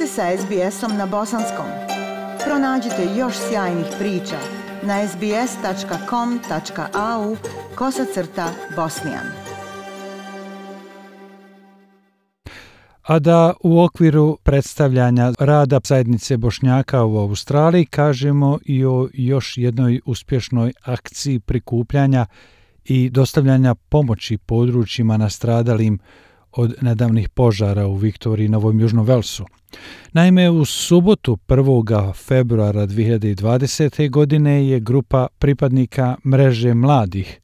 ste sa SBS-om na bosanskom. Pronađite još sjajnih priča na sbs.com.au/bosnijan. A da u okviru predstavljanja rada zajednice Bošnjaka u Australiji kažemo i o još jednoj uspješnoj akciji prikupljanja i dostavljanja pomoći područjima nastradalim od nedavnih požara u Viktoriji i Novom Južnom Velsu. Naime, u subotu 1. februara 2020. godine je grupa pripadnika Mreže mladih,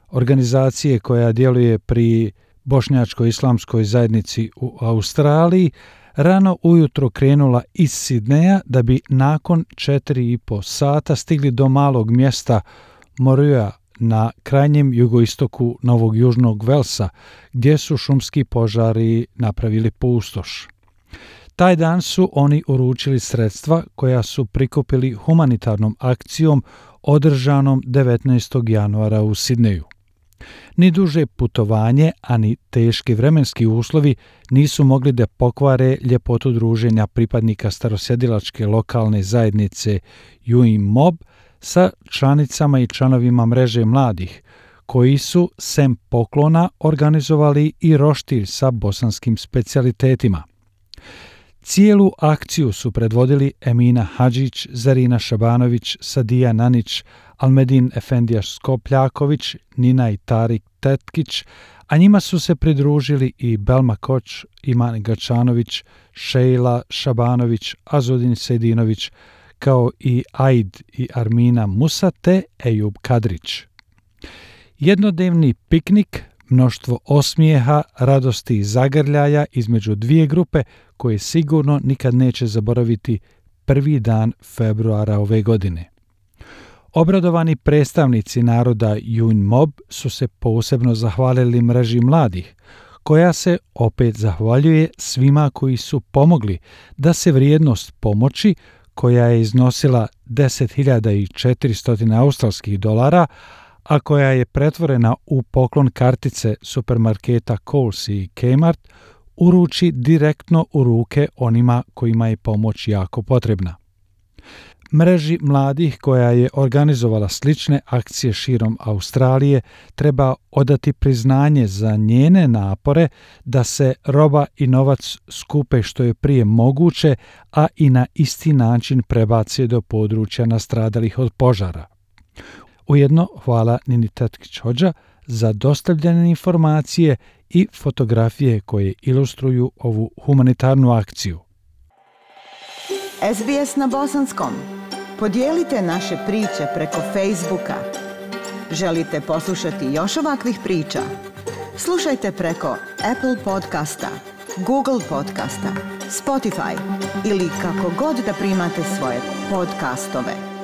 organizacije koja djeluje pri Bošnjačkoj islamskoj zajednici u Australiji, rano ujutro krenula iz Sidneja da bi nakon 4,5 sata stigli do malog mjesta Moruja na krajnjem jugoistoku Novog Južnog Velsa, gdje su šumski požari napravili pustoš. Taj dan su oni uručili sredstva koja su prikupili humanitarnom akcijom održanom 19. januara u Sidneju. Ni duže putovanje, ani teški vremenski uslovi nisu mogli da pokvare ljepotu druženja pripadnika starosjedilačke lokalne zajednice Yuin Mob sa članicama i članovima Mreže mladih, koji su sem poklona organizovali i roštilj sa bosanskim specijalitetima. Cijelu akciju su predvodili Emina Hadžić, Zarina Šabanović, Sadija Nanić, Almedin Efendijaš Skopljaković, Nina i Tarik Tetkić, a njima su se pridružili i Belma Koč, Iman Gačanović, Šejla Šabanović, Azudin Sejdinović, kao i Aid i Armina Musa te Ejub Kadrić. Jednodnevni piknik, mnoštvo osmijeha, radosti i zagrljaja između dvije grupe koje sigurno nikad neće zaboraviti prvi dan februara ove godine. Obradovani predstavnici naroda Yuin Mob su se posebno zahvalili Mreži mladih, koja se opet zahvaljuje svima koji su pomogli da se vrijednost pomoći, koja je iznosila 10.400 australskih dolara, a koja je pretvorena u poklon kartice supermarketa Coles i Kmart, uruči direktno u ruke onima kojima je pomoć jako potrebna. Mreži mladih, koja je organizovala slične akcije širom Australije, treba odati priznanje za njene napore da se roba i novac skupe što je prije moguće, a i na isti način prebaci do područja nastradalih od požara. Ujedno hvala Nini Tetkić-Hodža za dostavljene informacije i fotografije koje ilustruju ovu humanitarnu akciju. SBS na bosanskom. Podijelite naše priče preko Facebooka. Želite poslušati još ovakvih priča? Slušajte preko Apple podcasta, Google podcasta, Spotify ili kako god da primate svoje podcastove.